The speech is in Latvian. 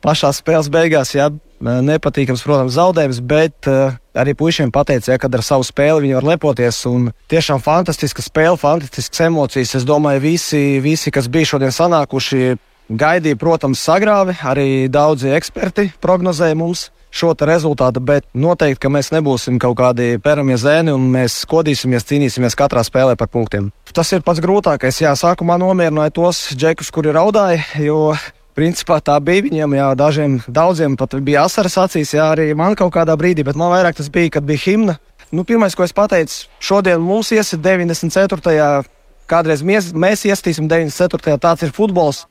pašā spēles beigās, jā, nepatīkams, protams, zaudējums, bet arī puišiem pateica, ja, kad ar savu spēli viņi var lepoties. Un tiešām fantastiska spēle, fantastiskas emocijas. Es domāju, visi, kas bija šodien sanākuši, gaidīja, protams, sagrāvi. Arī daudzi eksperti prognozēja mums šo rezultātu, bet noteikti, ka mēs nebūsim kaut kādi peramie zēni un mēs kodīsimies, cīnīsimies katrā spēlē par punktiem. Tas ir pats grūtākais. Jā, sākumā nomierināja tos džekus, kuri raudāja, jo principā tā bija viņiem, jā, daudziem pat bija asaras acīs, jā, arī man kaut kādā brīdī, bet man vairāk tas bija, kad bija himna. Pirmais, ko es pateicu, šodien mums iesit 94. Kādreiz mēs iestīsim 94. Tāds ir futbols.